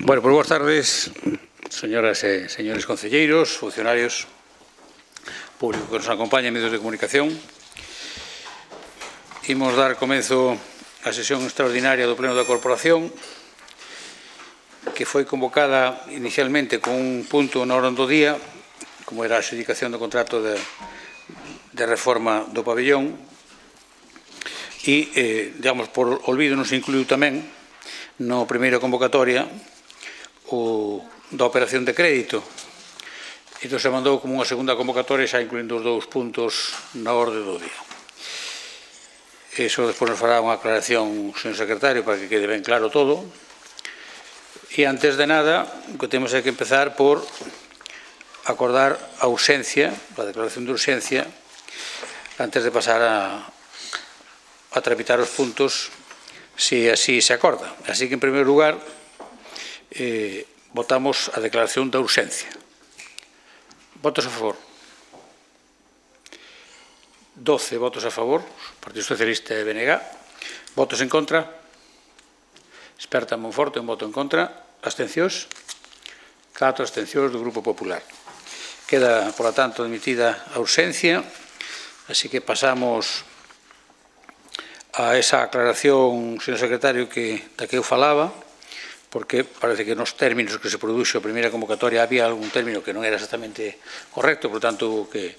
Bueno, pues boas tardes, señoras e señores concelleiros, funcionarios, público que nos acompaña en medios de comunicación. Imos dar comenzo á sesión extraordinaria do Pleno da Corporación, que foi convocada inicialmente con un punto na orden do día, como era a adxudicación do contrato de reforma do pabellón, e, digamos, por olvido non se incluiu tamén na primeira convocatoria da operación de crédito. Entón se mandou como unha segunda convocatoria xa incluindo os dous puntos na orde do día. Eso despois nos fará unha aclaración, señor secretario, para que quede ben claro todo. E antes de nada, o que temos é que empezar por acordar a urxencia, a declaración de urxencia, antes de pasar a tramitar os puntos, se así se acorda. Así que, en primeiro lugar, votamos a declaración da urxencia. Votos a favor. 12 votos a favor, Partido Socialista e BNG. Votos en contra. Esperta Monforte, un voto en contra. Abstencións. 4 abstencións do Grupo Popular. Queda, por lo tanto, admitida a urxencia. Así que pasamos a esa aclaración, señor secretario, da que eu falaba, porque parece que nos términos que se produxo a primeira convocatoria había algún término que non era exactamente correcto, por tanto, que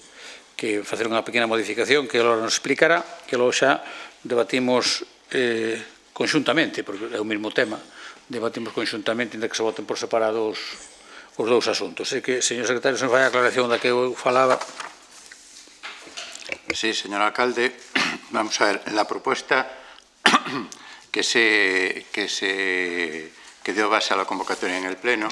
facer unha pequena modificación que agora nos explicará, que logo xa debatimos conxuntamente, porque é o mesmo tema, debatimos conxuntamente, ainda que se voten por separado os dous asuntos. Así que, señor secretario, se nos vai a aclaración da que eu falaba. Sí, señor alcalde, vamos a ver, la propuesta que dio base a la convocatoria en el Pleno,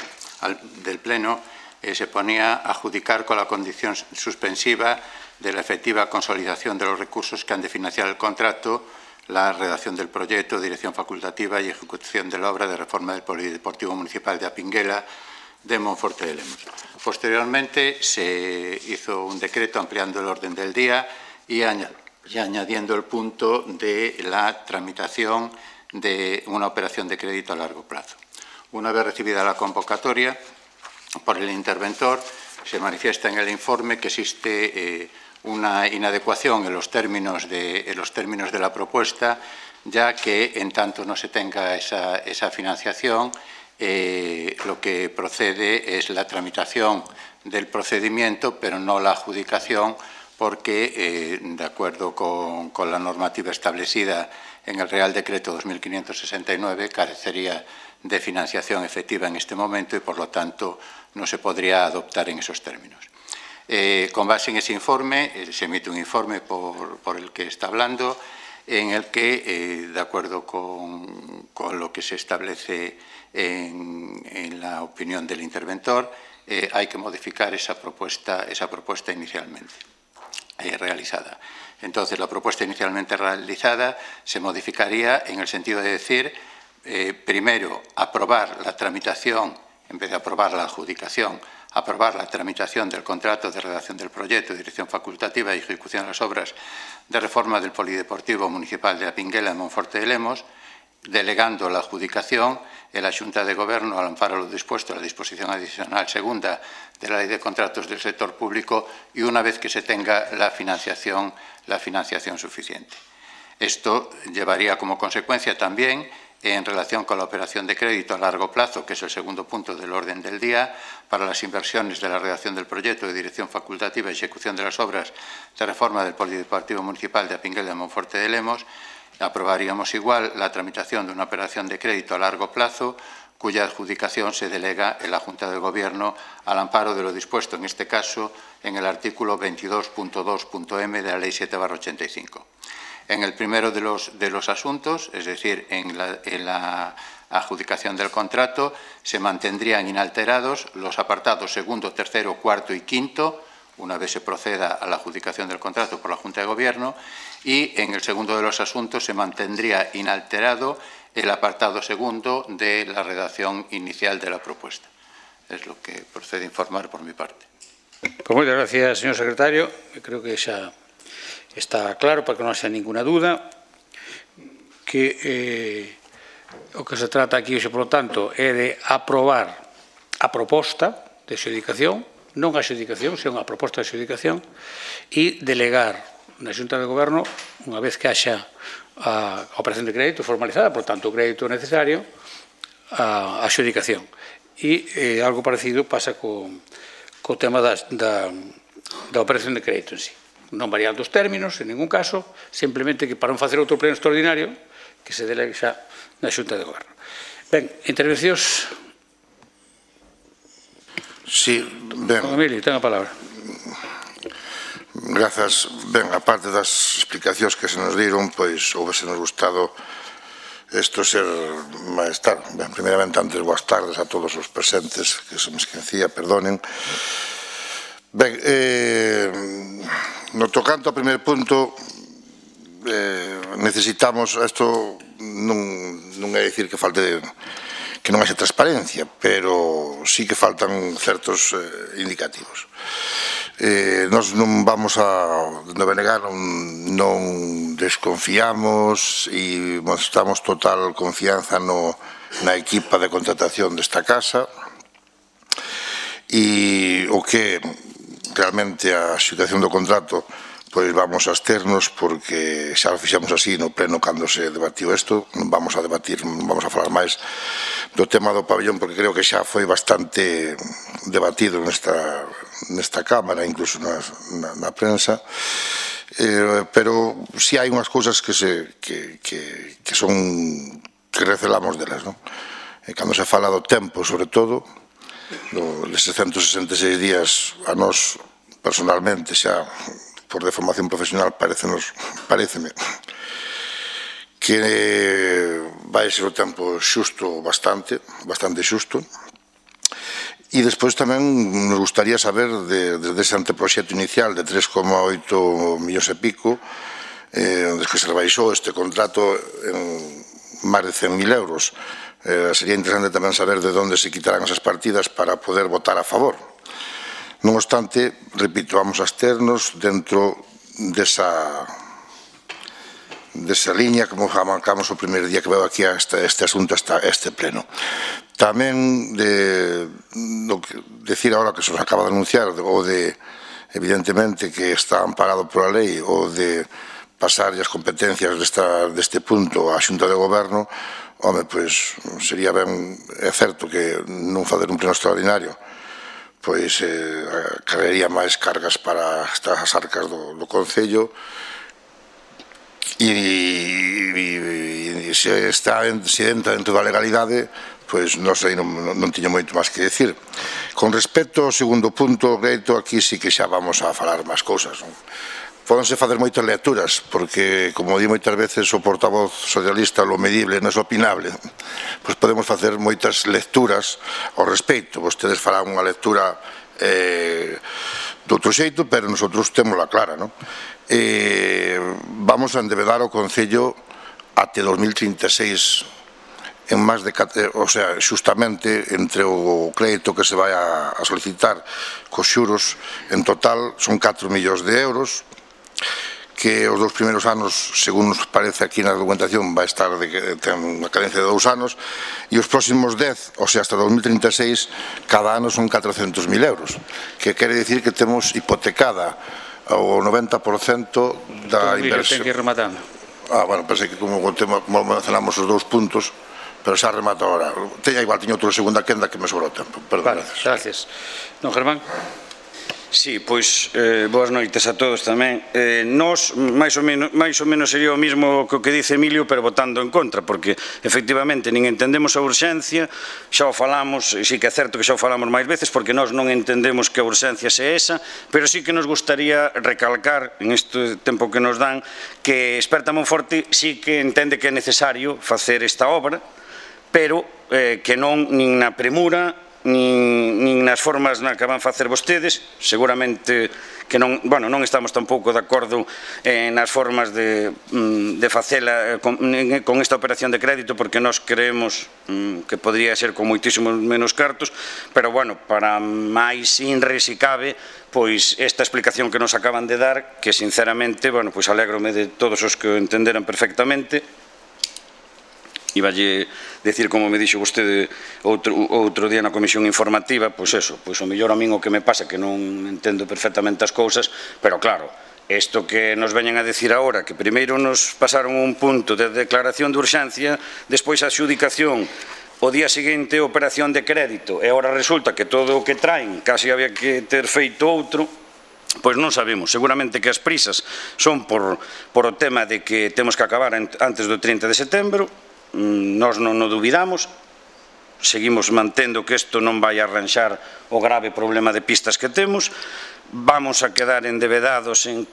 se ponía a adjudicar con la condición suspensiva de la efectiva consolidación de los recursos que han de financiar el contrato, la redacción del proyecto, dirección facultativa y ejecución de la obra de reforma del Polideportivo Municipal de Apinguela de Monforte de Lemos. Posteriormente se hizo un decreto ampliando el orden del día y añadiendo el punto de la tramitación de una operación de crédito a largo plazo. Una vez recibida la convocatoria por el interventor, se manifiesta en el informe que existe una inadecuación en los términos de la propuesta, ya que en tanto no se tenga esa financiación, lo que procede es la tramitación del procedimiento, pero no la adjudicación, porque, de acuerdo con la normativa establecida en el Real Decreto 2569, carecería de financiación efectiva en este momento y, por lo tanto, no se podría adoptar en esos términos. Con base en ese informe, se emite un informe por el que está hablando, en el que, de acuerdo con lo que se establece en la opinión del interventor, hay que modificar esa propuesta inicialmente realizada. Entonces, la propuesta inicialmente realizada se modificaría en el sentido de decir, primero, aprobar la tramitación, en vez de aprobar la adjudicación, aprobar la tramitación del contrato de redacción del proyecto, dirección facultativa y ejecución de las obras de reforma del Polideportivo Municipal de Apinguela en Monforte de Lemos, delegando la adjudicación en la Xunta de Goberno al amparo lo dispuesto en la disposición adicional segunda de la Ley de Contratos del Sector Público y una vez que se tenga la financiación suficiente. Esto llevaría como consecuencia también, en relación con la operación de crédito a largo plazo, que es el segundo punto del orden del día, para las inversiones de la redacción del proyecto de dirección facultativa y ejecución de las obras de reforma del Polideportivo Municipal de Apinguela de Monforte de Lemos, aprobaríamos igual la tramitación de una operación de crédito a largo plazo cuya adjudicación se delega en la Junta de Gobierno al amparo de lo dispuesto, en este caso, en el artículo 22.2.m de la Ley 7/85. En el primero de los asuntos, es decir, en la adjudicación del contrato, se mantendrían inalterados los apartados segundo, tercero, cuarto y quinto, una vez se proceda a la adjudicación del contrato por la Junta de Gobierno, y en el segundo de los asuntos se mantendría inalterado el apartado segundo de la redacción inicial de la propuesta. Es lo que procede a informar por mi parte. Pues muchas gracias, señor secretario. Creo que xa está claro, para que non haxa ninguna duda, que O que se trata aquí, por lo tanto, é de aprobar a proposta de adxudicación, non a adxudicación, senón a proposta de adxudicación, e delegar na Xunta de Goberno, unha vez que haxa a operación de crédito formalizada, por tanto, o crédito necesario, a adxudicación. E algo parecido pasa co tema da operación de crédito en sí. Non variando os términos, en ningún caso, simplemente que para non facer outro pleno extraordinario, que se delegue xa na Xunta de Goberno. Ben, intervencións. Sí, ben. Don Emilio, ten a palabra. Grazas. Ben, a parte das explicacións que se nos diron, pois, houvese nos gustado isto ser máis tarde. Ben, primeiramente, antes, boas tardes a todos os presentes, que se me esquecía, perdonen. Ben, no tocante ao primer punto, necesitamos, isto non é dicir que falte, que non haxe transparencia, pero sí que faltan certos indicativos. Nós non vamos a negar, non desconfiamos e mostramos total confianza na equipa de contratación desta casa, e o que realmente a situación do contrato, pois vamos a absternos, porque xa o fixemos así no pleno cando se debatiu isto. Non vamos a debatir, non vamos a falar máis do tema do pabellón, porque creo que xa foi bastante debatido nesta Cámara, incluso na prensa, pero si hai unhas cousas que recelamos delas, non? Cando se fala do tempo, sobre todo, deses 166 días, a nós personalmente xa por de formación profesional paréceme que vai ser o tempo xusto, bastante xusto. E despois tamén nos gustaría saber, desde ese anteproxecto inicial de 3,8 millóns e pico, desde que se rebaixou este contrato en máis de 100.000 euros, sería interesante tamén saber de onde se quitarán esas partidas para poder votar a favor. Non obstante, repito, vamos a absternos dentro desa liña, como marcamos o primeiro día que veo aquí a este asunto, a este pleno. Tamén decir agora que se nos acaba de anunciar, ou de, evidentemente, que está amparado pola lei, ou de pasar as competencias deste punto á Xunta de Goberno, home, pois sería ben, é certo que non fazer un pleno extraordinario pois carrería máis cargas para estas arcas do Concello, e se entra dentro da legalidade, pois non sei, non tiño moito máis que decir. Con respecto ao segundo punto, Greito, aquí sí que xa vamos a falar máis cousas. Pódense fazer moitas lecturas, porque, como di moitas veces o portavoz socialista, lo medible non é opinable. Pois podemos facer moitas lecturas ao respecto. Vostedes farán unha lectura de outro xeito, pero nosotros témola clara, non? Vamos a endevedar o Concello até 2036 en máis de, o sea, xustamente entre o crédito que se vai a solicitar cos xuros, en total son 4 millóns de euros, que os 2 primeiros anos, según nos parece aquí na documentación, vai estar ten unha cadencia de 2 anos, e os próximos 10, ou sea, hasta 2036, cada ano son 400.000 euros, que quere dicir que temos hipotecada o 90% da inversión. Ten que ir rematando. Bueno, pensei que como mencionamos os 2 puntos, pero xa remato agora. Igual tiño outra segunda quenda que me sobrou tempo. Perdón, gracias. Don Germán. Sí, pois, boas noites a todos tamén. Nos, máis ou menos sería o mismo que o que dice Emilio, pero votando en contra, porque, efectivamente, nin entendemos a urxencia, xa o falamos, e sí que é certo que xa o falamos máis veces, porque nós non entendemos que a urxencia se esa, pero sí que nos gustaría recalcar, en este tempo que nos dan, que Experta Monforte sí que entende que é necesario facer esta obra, pero que non nin na premura, nin nas formas na que van facer vostedes, seguramente que non estamos tampouco de acordo nas formas de facela con esta operación de crédito, porque nós creemos que podría ser con moitísimos menos cartos, pero, bueno, para máis inre, se cabe, pois esta explicación que nos acaban de dar, que, sinceramente, bueno, pois alégrome de todos os que o entenderan perfectamente, iballe decir, como me dixo vostede outro día na comisión informativa, pois eso, pois o mellor a min o que me pasa que non entendo perfectamente as cousas, pero claro, isto que nos veñen a decir agora, que primeiro nos pasaron un punto de declaración de urxencia, despois a adxudicación, o día seguinte a operación de crédito, e agora resulta que todo o que traen casi había que ter feito outro, pois non sabemos. Seguramente que as prisas son por o tema de que temos que acabar antes do 30 de setembro, nós non o duvidamos, seguimos mantendo que isto non vai arranxar o grave problema de pistas que temos, vamos a quedar endebedados en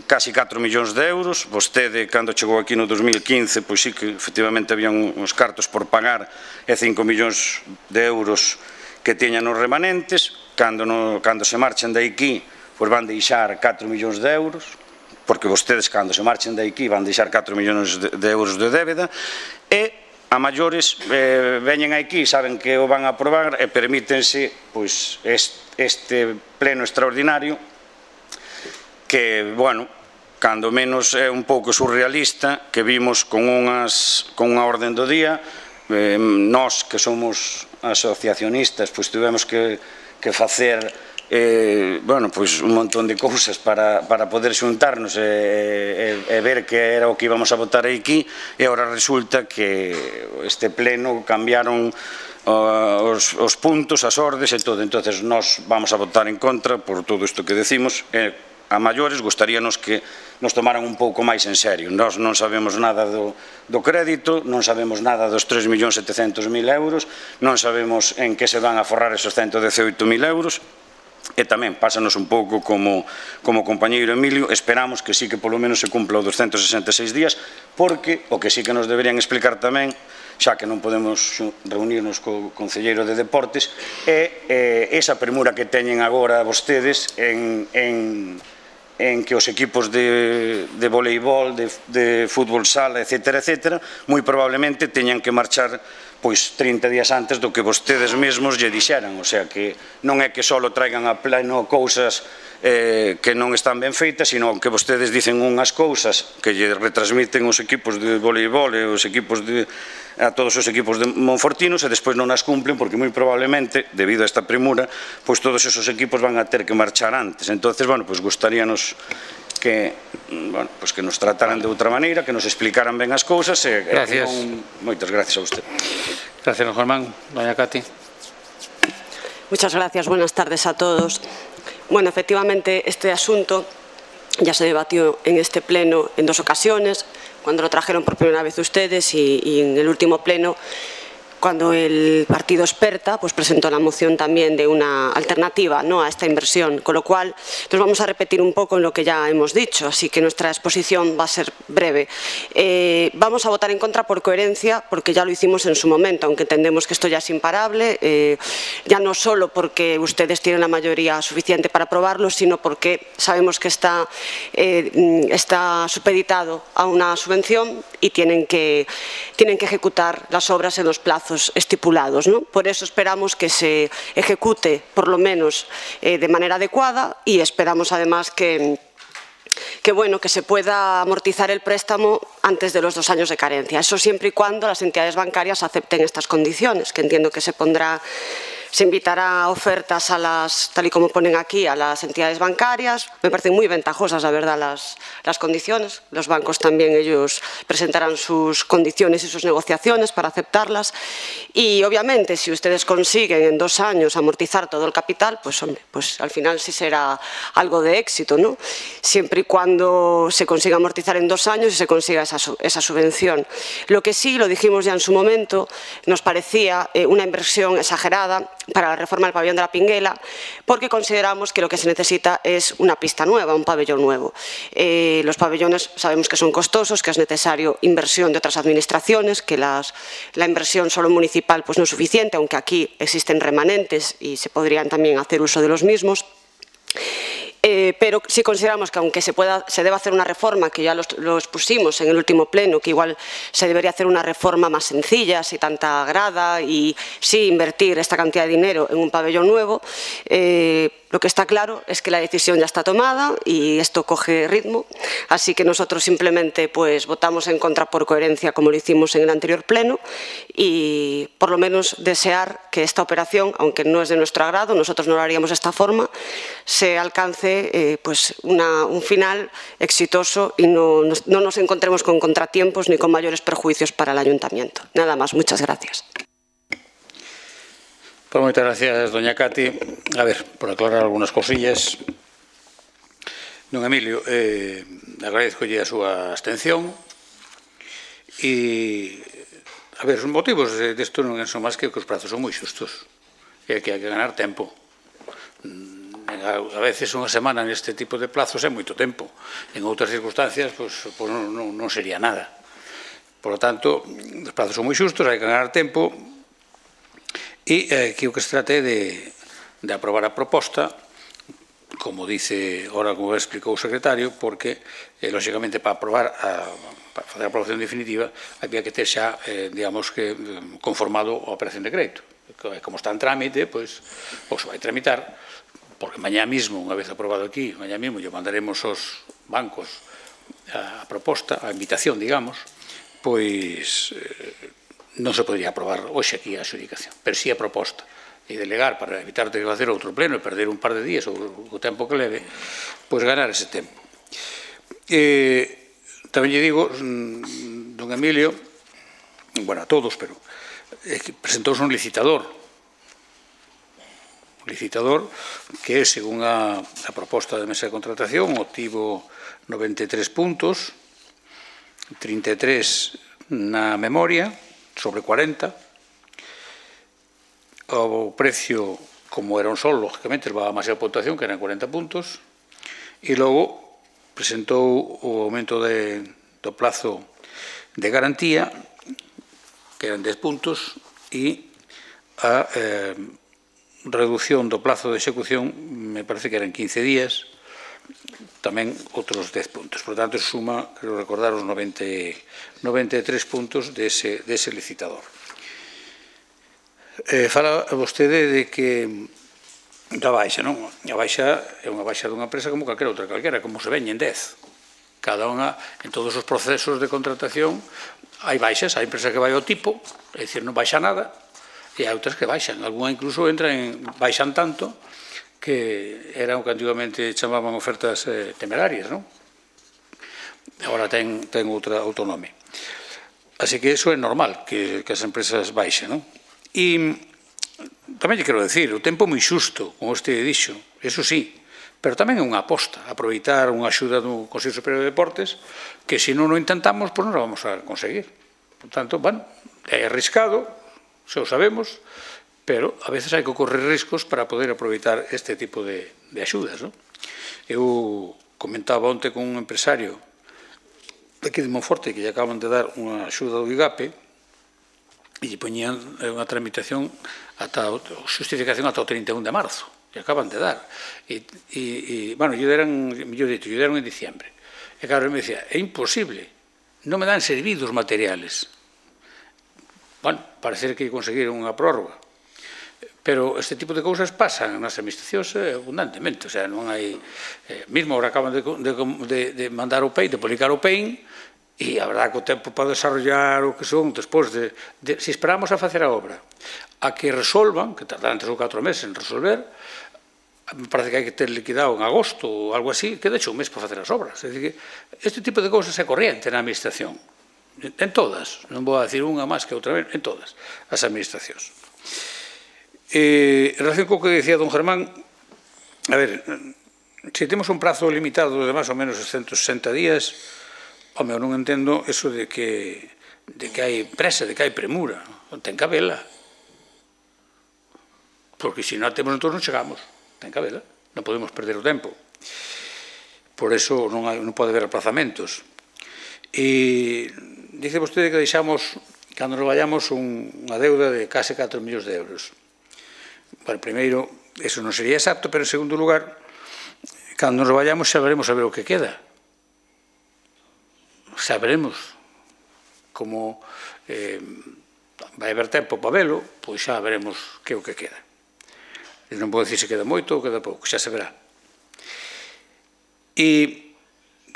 casi 4 millóns de euros. Vostede, cando chegou aquí no 2015, pois sí que efectivamente había uns cartos por pagar e 5 millóns de euros que teñan os remanentes. Cando se marchen de aquí, pois van deixar 4 millóns de euros, porque vostedes, cando se marchen de aquí, van deixar 4 millóns de euros de débeda, e a maiores veñen aquí, saben que o van a aprobar e permítense pois este pleno extraordinario que, bueno, cando menos é un pouco surrealista, que vimos con unha orden do día. Nós, que somos asociacionistas, pois tivemos que facer un montón de cousas para poder xuntarnos e ver que era o que íbamos a votar aquí, e agora resulta que este pleno cambiaron os puntos, as ordes e todo. Entonces nós vamos a votar en contra por todo isto que decimos. A maiores gustaríanos que nos tomaran un pouco máis en serio. Nós non sabemos nada do crédito, non sabemos nada dos 3.700.000 euros, non sabemos en que se van a forrar esos 118.000 euros. E tamén pásanos un pouco como compañeiro Emilio, esperamos que sí que polo menos se cumpla os 266 días, porque o que sí que nos deberían explicar tamén, xa que non podemos reunirnos co concelleiro de Deportes, é esa premura que teñen agora vostedes en que os equipos de voleibol, de fútbol sala, etcétera, moi probablemente teñan que marchar pois 30 días antes do que vostedes mesmos lle dixeran, o sea que non é que só traigan a pleno cousas que non están ben feitas, sino que vostedes dicen unhas cousas que lle retransmiten os equipos de voleibol e a todos os equipos de monfortinos, e despois non as cumplen, porque moi probablemente, debido a esta premura, pois todos esos equipos van a ter que marchar antes. Entonces, bueno, pois gustaríanos que nos trataran de outra maneira, que nos explicaran ben as cousas. Gracias. Moitas gracias a usted. Gracias, don Germán. Doña Cati. Muchas gracias. Buenas tardes a todos. Bueno, efectivamente, este asunto ya se debatió en este pleno en 2 ocasiones, cuando lo trajeron por primera vez ustedes y en el último pleno, cuando el partido Experta pues presentó la moción también de una alternativa, ¿no?, a esta inversión, con lo cual nos vamos a repetir un poco en lo que ya hemos dicho, así que nuestra exposición va a ser breve. Vamos a votar en contra por coherencia, porque ya lo hicimos en su momento, aunque entendemos que esto ya es imparable, ya no solo porque ustedes tienen la mayoría suficiente para aprobarlo, sino porque sabemos que está supeditado a una subvención y tienen que ejecutar las obras en los plazos estipulados, ¿no? Por eso esperamos que se ejecute, por lo menos, de manera adecuada, y esperamos además que se pueda amortizar el préstamo antes de los 2 años de carencia. Eso siempre y cuando las entidades bancarias acepten estas condiciones, que entiendo que se invitará a ofertas tal y como ponen aquí, a las entidades bancarias. Me parecen muy ventajosas, la verdad, las condiciones. Los bancos también, ellos presentarán sus condiciones y sus negociaciones para aceptarlas. Y, obviamente, si ustedes consiguen en 2 años amortizar todo el capital, pues, hombre, pues al final sí será algo de éxito, ¿no? Siempre y cuando se consiga amortizar en 2 años y se consiga esa subvención. Lo que sí, lo dijimos ya en su momento, nos parecía una inversión exagerada para la reforma del pabellón de la Pinguela, porque consideramos que lo que se necesita es una pista nueva, un pabellón nuevo. Los pabellones sabemos que son costosos, que es necesario inversión de otras administraciones, que la inversión solo municipal pues no es suficiente, aunque aquí existen remanentes y se podrían también hacer uso de los mismos. Pero sí consideramos que aunque se deba hacer una reforma, que ya lo expusimos en el último pleno, que igual se debería hacer una reforma más sencilla, sin tanta grada, y sí invertir esta cantidad de dinero en un pabellón nuevo, Lo que está claro es que la decisión ya está tomada y esto coge ritmo, así que nosotros simplemente pues votamos en contra por coherencia como lo hicimos en el anterior pleno y por lo menos desear que esta operación, aunque no es de nuestro agrado, nosotros no lo haríamos de esta forma, se alcance pues un final exitoso y no nos encontremos con contratiempos ni con mayores perjuicios para el Ayuntamiento. Nada más, muchas gracias. Pues moitas gracias, doña Cati. A ver, por aclarar algunas cosillas. Don Emilio, agradezcolle a súa abstención e, a ver, os motivos desto non son máis que os prazos son moi xustos e que hai que ganar tempo. A veces unha semana neste tipo de plazos é moito tempo. En outras circunstancias, pois non sería nada. Por lo tanto, os prazos son moi xustos, hai que ganar tempo. E aquí o que se trata é de aprobar a proposta, como dice, ahora como explicou o secretario, porque, lógicamente, para facer a aprobación definitiva, había que ter xa, digamos que, conformado a operación de crédito. Como está en trámite, pois, ou se vai tramitar, porque mañá mismo, unha vez aprobado aquí, mañá mismo, lle mandaremos aos bancos a proposta, a invitación, digamos, pois non se podría aprobar hoxe aquí a adxudicación, pero si a proposta e delegar para evitar ter que facer outro pleno e perder un par de días ou o tempo que leve, pois ganar ese tempo. Tamén lle digo, don Emilio, bueno, a todos, pero presentouse un licitador que, según a proposta de mesa de contratación, obtivo 93 puntos, 33 na memoria, sobre 40, o precio, como era un sol, lógicamente, levaba máis a puntuación, que eran 40 puntos, e logo presentou o aumento do plazo de garantía, que eran 10 puntos, e a reducción do plazo de execución, me parece que eran 15 días, tamén outros 10 puntos. Por tanto, suma, quero recordar, os 93 puntos dese licitador. Fala vostede de que da baixa, non? A baixa é unha baixa dunha empresa como calquera outra, como se veñen 10. Cada unha, en todos os procesos de contratación, hai baixas, hai empresas que vai ao tipo, é dicir, non baixa nada, e hai outras que baixan. Alguna incluso baixan tanto que era o que antigamente chamaban ofertas temerarias, non? Agora ten outro nome. Así que iso é normal, que as empresas baixen, non? E tamén lle quero decir, o tempo moi xusto, como vostede dixo, eso sí, pero tamén é unha aposta, aproveitar unha axuda do Consello Superior de Deportes, que se non o intentamos, pois non o vamos a conseguir. Por tanto, bueno, é arriscado, xa o sabemos, pero a veces hai que correr riscos para poder aproveitar este tipo de axudas, non? Eu comentaba onte con un empresario aquí de Monforte que lle acaban de dar unha axuda do IGAPE e lle poñían unha tramitación justificación ata o 31 de marzo, lle acaban de dar. Bueno, lle deran, mellor dito, lle deran en diciembre. E claro, me dicía, é imposible, non me dan servidos materiales. Bueno, parece que conseguiron unha prórroga. Pero este tipo de cousas pasan nas administracións abundantemente, o sea, non hai... Mismo agora acaban de mandar o PEI, de publicar o PEI, e a verdade que o tempo para desarrollar o que son, despois de... Se esperamos a facer a obra, a que resolvan, que tardarán 3 ou 4 meses en resolver, me parece que hai que ter liquidado en agosto ou algo así, que de hecho un mes para facer as obras. É dicir, que este tipo de cousas é corriente na administración, en todas, non vou a decir unha máis que outra vez, en todas as administracións. En relación co que decía don Germán, a ver, se temos un prazo limitado de máis ou menos 160 días, home, eu non entendo eso de que hai presa, de que hai premura, ten que habela, porque se non temos entón non chegamos, ten que habela, non podemos perder o tempo, por eso non pode haber aplazamentos. E dice vostede que deixamos, cando nos vayamos, unha deuda de case 4 millóns de euros. Bueno, primeiro, eso non sería exacto, pero en segundo lugar, cando nos vayamos xa veremos a ver o que queda. Xa veremos como vai haber tempo para velo, pois xa veremos que é o que queda. Non podo dicir se queda moito ou queda pouco, xa se verá. E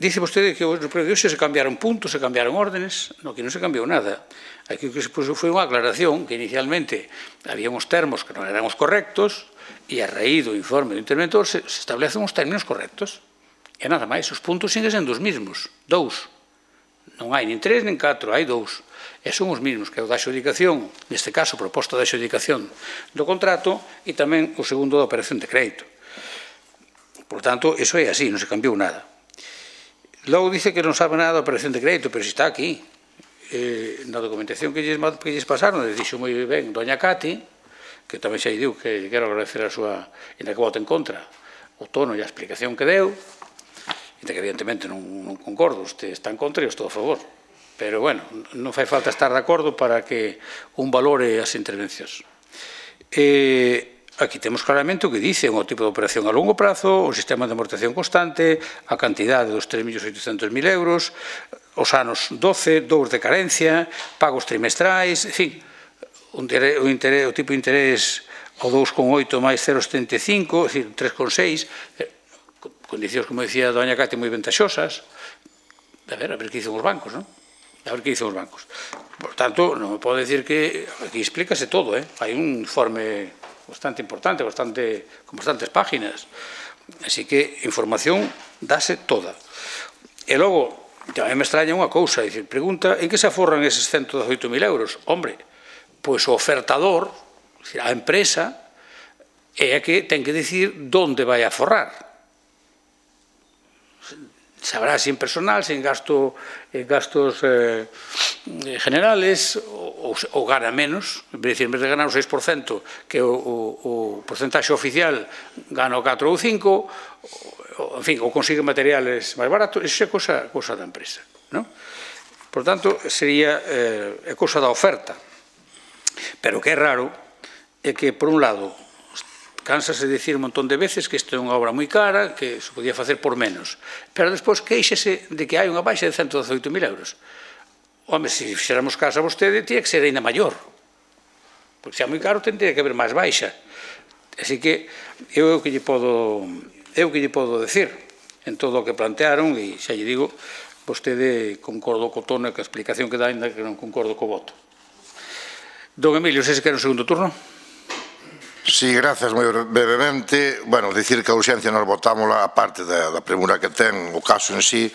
dice vostede que no pleno de hoxe se cambiaron puntos, se cambiaron órdenes. No, que non se cambiou nada. Aquí o que se puso foi unha aclaración que inicialmente había uns termos que non eran os correctos e a raíz do informe do interventor se establecen uns términos correctos. E nada máis, os puntos siguen sendo os mismos, 2. Non hai nin 3 nin 4, hai 2. E son os mismos, que é o da adxudicación, neste caso, proposta da adxudicación do contrato, e tamén o segundo da operación de crédito. Por tanto, iso é así, non se cambiou nada. Logo dice que non sabe nada da operación de crédito, pero se está aquí. Na documentación que lles pasaron, dixo moi ben doña Cati, que tamén xa diu que quero agradecer a súa, en que voto en contra, o tono e a explicación que deu, e que evidentemente non concordo, usted está en contra e eu estou a favor. Pero, bueno, non fai falta estar de acordo para que un valore as intervencións. Aquí temos claramente o que dice, o tipo de operación a longo prazo, o sistema de amortización constante, a cantidade dos 3.800.000 euros, os anos 12, 2 de carencia, pagos trimestrais, en fin, o tipo de interés o 2,8 máis 0,75, é dicir, 3,6, condicións, como dicía doña Cati, moi ventaxosas. A ver que dicen os bancos, non? A ver que dicen os bancos. Por tanto, non me pode dicir que aquí explícase todo, hai un informe bastante importante, con bastantes páginas. Así que información dáse toda. E logo, tamén me extraña unha cousa, dicir, pregunta, en que se aforran eses 118.000 euros? Hombre, pois o ofertador, a empresa, é a que ten que dicir onde vai a aforrar. Sabrá se en personal, se en gastos generales, ou gana menos, en vez de ganar o 6%, que o porcentaxe oficial gana o 4 ou 5, en fin, ou consigue materiales máis baratos, iso é cosa da empresa. Por tanto, sería cosa da oferta. Pero o que é raro é que, por un lado, cánsase de dicir un montón de veces que isto é unha obra moi cara, que se podía facer por menos. Pero despois queixese de que hai unha baixa de 118.000 euros. Home, se fixéramos caso a vostede, tía que ser ainda maior. Porque se é moi caro, tendría que haber máis baixa. Así que eu o que lle podo decir en todo o que plantearon, e xa lle digo, vostede concordo co tono e co explicación que dá, ainda que non concordo co voto. Don Emilio, se quer un segundo turno? Sí, grazas, moi brevemente. Bueno, dicir que a urxencia nos votamos a parte da premura que ten o caso en sí,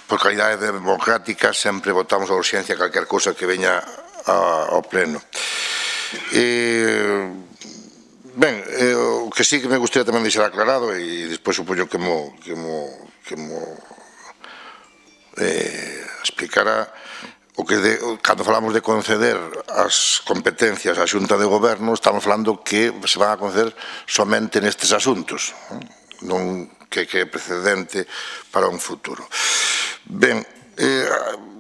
por calidade democrática sempre votamos a urxencia calquer cousa que veña ao pleno. Ben, o que sí que me gustaría tamén deixar aclarado, e despois supoño que mo explicará, o que cando falamos de conceder as competencias á Xunta de Goberno, estamos falando que se van a conceder somente nestes asuntos, non que é precedente para un futuro. Ben,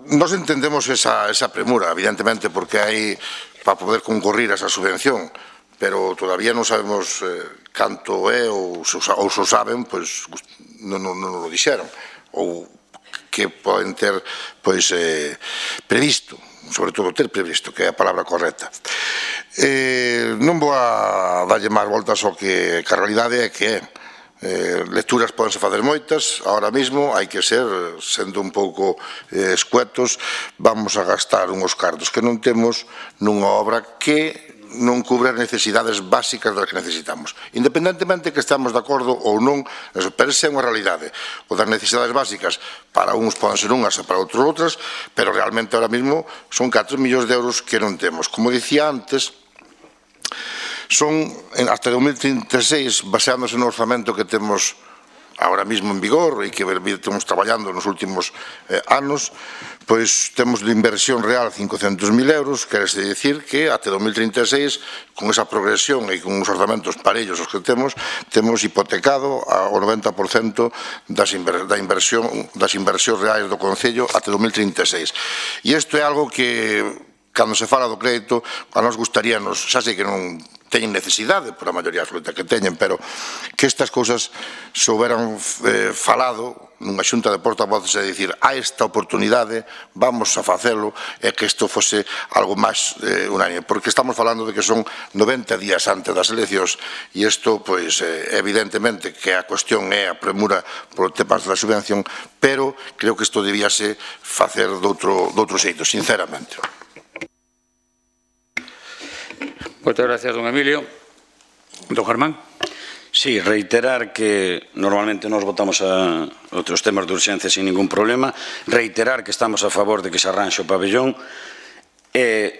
nos entendemos esa premura, evidentemente, porque hai para poder concurrir a esa subvención, pero todavía non sabemos canto é, ou se o saben, pois non o dixeron, ou que poden ter previsto, sobre todo ter previsto, que é a palabra correcta. Non vou a darlle máis voltas ao que a realidade é que é. Lecturas podense facer moitas, ahora mismo hai que ser, sendo un pouco escuetos, vamos a gastar unhos cartos que non temos nunha obra que non cubre as necesidades básicas das que necesitamos. Independentemente que estamos de acordo ou non, pero esa é unha realidade. O das necesidades básicas, para uns poden ser unhas e para outros outras, pero realmente ahora mismo son 4 millóns de euros que non temos. Como dicía antes, son hasta 2036, baseándose no orzamento que temos ahora mismo en vigor e que estamos traballando nos últimos anos, pois temos de inversión real 500.000 euros, quere dicir que até 2036, con esa progresión e con os orzamentos parellos os que temos hipotecado o 90% das inversións reais do Concello até 2036. E isto é algo que, cando se fala do crédito, a nos gustaríanos, xa sei que non teñen necesidade por a maioría absoluta que teñen, pero que estas cousas se houberan falado nunha xunta de portavoces e dicir a esta oportunidade vamos a facelo e que isto fose algo máis unánime, porque estamos falando de que son 90 días antes das eleccións e isto, pois, evidentemente que a cuestión é a premura por temas da subvención, pero creo que isto debíase facer de outro xeito, sinceramente. Moitas gracias, don Emilio. Don Germán. Sí, reiterar que normalmente nos votamos a outros temas de urxencia sin ningún problema, reiterar que estamos a favor de que se arranxe o pabellón e,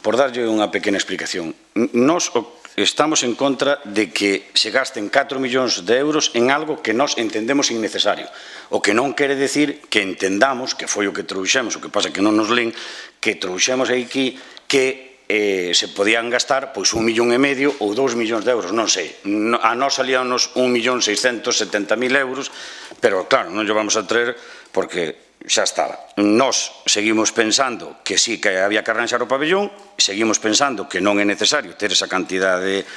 por darlle unha pequena explicación, nos estamos en contra de que se gasten 4 millóns de euros en algo que nós entendemos innecesario, o que non quere decir que entendamos, que foi o que trouxemos, o que pasa que non nos len, que trouxemos aquí que se podían gastar pois 1,5 millón ou 2 millóns de euros, non sei. A nós salíanos 1.670.000 euros, pero claro, non lle vamos a traer porque xa estaba. Nós seguimos pensando que sí que había que arranxar o pabellón, seguimos pensando que non é necesario ter esa cantidad de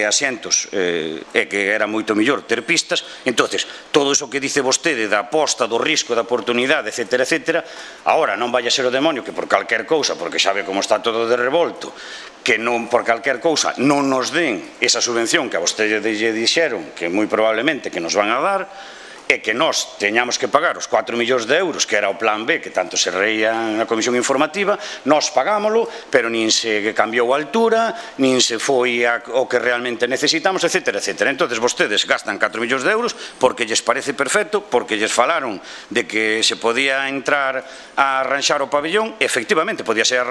asientos e que era moito mellor ter pistas. Entonces, todo iso que dice vostede da aposta, do risco, da oportunidade, etcétera, etcétera, agora non vai a ser o demonio que por calquer cousa, porque sabe como está todo de revolto, que non por calquer cousa non nos den esa subvención que a vostede lle dixeron que moi probablemente que nos van a dar, e que nós teñamos que pagar os 4 millóns de euros, que era o plan B, que tanto se reía na comisión informativa, nós pagámoslo, pero nin se cambiou a altura, nin se foi o que realmente necesitamos, etcétera, etcétera. Entón, vostedes gastan 4 millóns de euros porque lles parece perfecto, porque lles falaron de que se podía entrar a arranxar o pabellón, efectivamente, podía ser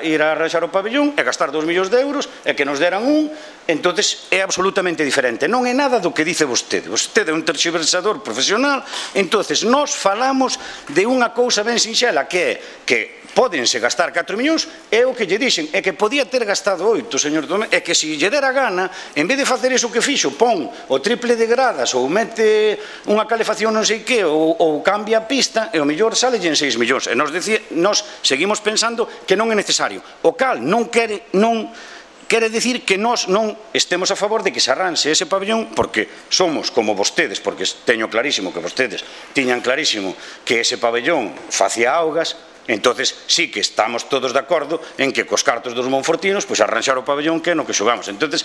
ir a arranxar o pabellón e gastar 2 millóns de euros e que nos deran un, entón é absolutamente diferente. Non é nada do que dice vostede. Vostede é un terxiversador profesional, entonces nós falamos de unha cousa ben sinxela que é que pódense gastar 4 millóns, é o que lle dixen, é que podía ter gastado 8, señor Domé, é que se lle dera gana, en vez de facer iso que fixo, pon o triple de gradas ou mete unha calefacción non sei que ou cambia a pista e o mellor sale en 6 millóns. E nos seguimos pensando que non é necesario. O cal non quere dicir que nós non estemos a favor de que se arranxe ese pabellón porque somos como vostedes, porque teño clarísimo que vostedes tiñan clarísimo que ese pabellón facía augas, entonces sí que estamos todos de acordo en que cos cartos dos monfortinos pois arranxar o pabellón que é no que xogamos. Entonces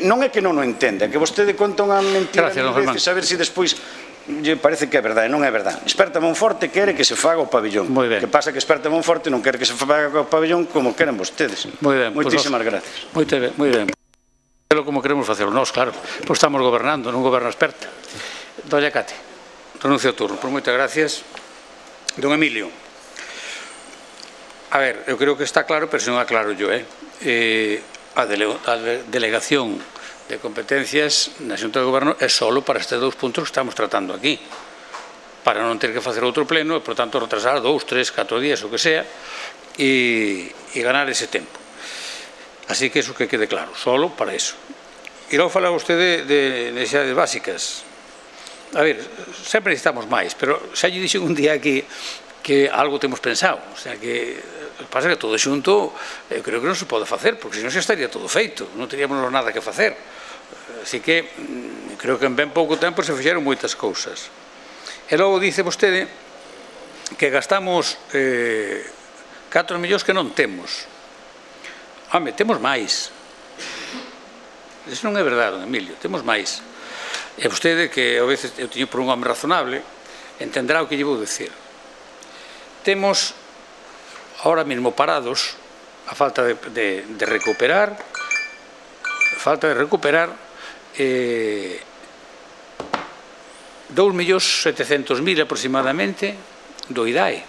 non é que non o entenda, é que vostede conta unha mentira mil veces a ver se despois lle parece que é verdade, non é verdade. Esperta Monforte quere que se faga o pabellón. Que pasa que Esperta Monforte non quere que se faga o pabellón como queren vostedes. Moitísimas gracias. Moi ben. Como queremos facelo nós, claro. Pois estamos gobernando, non goberna Esperta. Doña Cate, renuncio ao turno. Por moitas gracias. Don Emilio. A ver, eu creo que está claro, pero se non aclaro yo, a delegación de competencias na Xunta de Goberno é só para estes 2 puntos que estamos tratando aquí, para non ter que facer outro pleno e, por tanto, retrasar 2, 3, 4 días, o que sea, e ganar ese tempo. Así que eso que quede claro, só para eso. E logo fala vostede de necesidades básicas. A ver, sempre necesitamos máis, pero xa lle dixen un día aquí que algo temos pensado, o sea que pasa que todo xunto creo que non se pode facer, porque senón xa estaría todo feito, non teríamos nada que facer. Así que creo que en ben pouco tempo se fixeron moitas cousas. E logo dice vostede que gastamos 4 millóns que non temos. Home, temos máis. Eso non é verdade, don Emilio, temos máis. E vostede, que a veces eu teño por un home razonable, entenderá o que lle vou dicir. Temos ahora mesmo parados a falta de recuperar 2.700.000 aproximadamente do IDAE.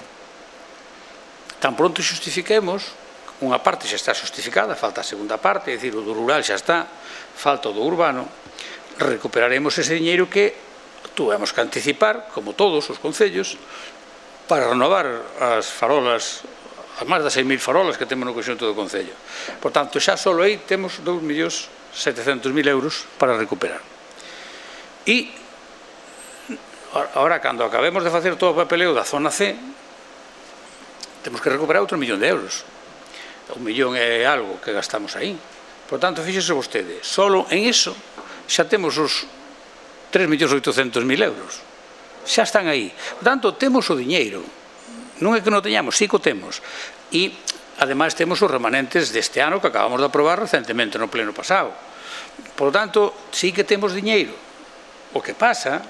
Tan pronto xustifiquemos, unha parte xa está xustificada, falta a segunda parte, é dicir, o do rural xa está, falta o do urbano, recuperaremos ese diñeiro que tuvemos que anticipar, como todos os concellos, para renovar as farolas, as máis das 6.000 farolas que temos no conxunto do concello. Por tanto, xa só aí temos 2.700.000 euros para recuperar. E, agora, cando acabemos de facer todo o papeleo da zona C, temos que recuperar outro 1 millón de euros. 1.000.000 e algo que gastamos aí. Por tanto, fíxese vostede, solo en iso xa temos os 3.800.000 euros. Xa están aí. Por tanto, temos o diñeiro. Non é que non teñamos, sí que o temos. E, ademais, temos os remanentes deste ano que acabamos de aprobar recentemente no pleno pasado. Por tanto, sí que temos diñeiro. O que pasa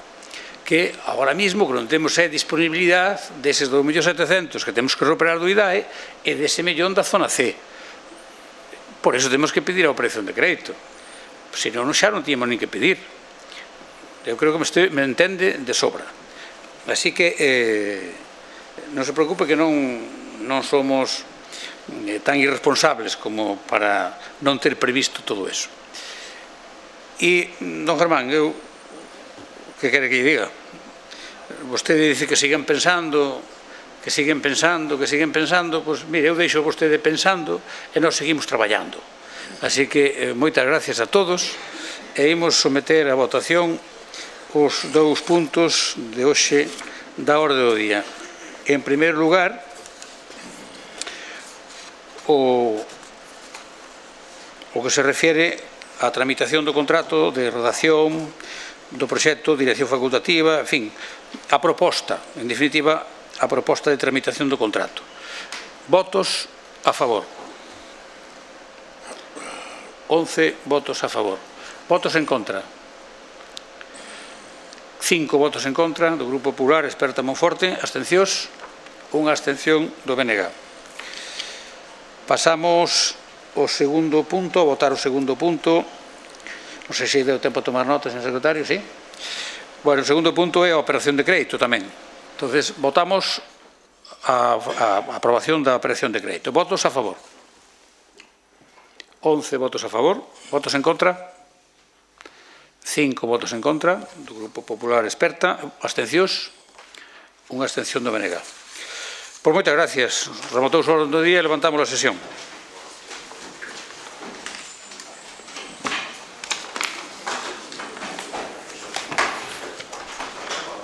que agora mismo que non temos disponibilidade deses 2.700.000 que temos que recuperar do IDAE e dese millón da zona C. Por eso temos que pedir a operación de crédito. Se non, xa non tínhamos nin que pedir. Eu creo que me entende de sobra. Así que non se preocupe que non somos tan irresponsables como para non ter previsto todo eso. E, don Germán, eu que quere que lle diga? Vostede dice que siguen pensando, pois, mire, eu deixo vostede pensando e nós seguimos traballando. Así que, moitas gracias a todos e imos someter a votación os 2 puntos de hoxe da orde do día. En primeiro lugar, o que se refiere á tramitación do contrato de redacción do proxecto, dirección facultativa, en fin, a proposta, en definitiva, a proposta de tramitación do contrato. Votos a favor. 11 votos a favor. Votos en contra. 5 votos en contra do Grupo Popular, Experta Monforte. Abstencións. Unha abstención do BNG. Pasamos ao segundo punto, a votar o segundo punto. Non sei se deu tempo a tomar notas, señor secretario, sí? Bueno, o segundo punto é a operación de crédito tamén. Entonces, votamos a aprobación da operación de crédito. Votos a favor. 11 votos a favor. Votos en contra. 5 votos en contra do Grupo Popular Experta. Abstencións. Unha abstención do BNG. Por moitas gracias. Remotouse o orde do día e levantamos a sesión.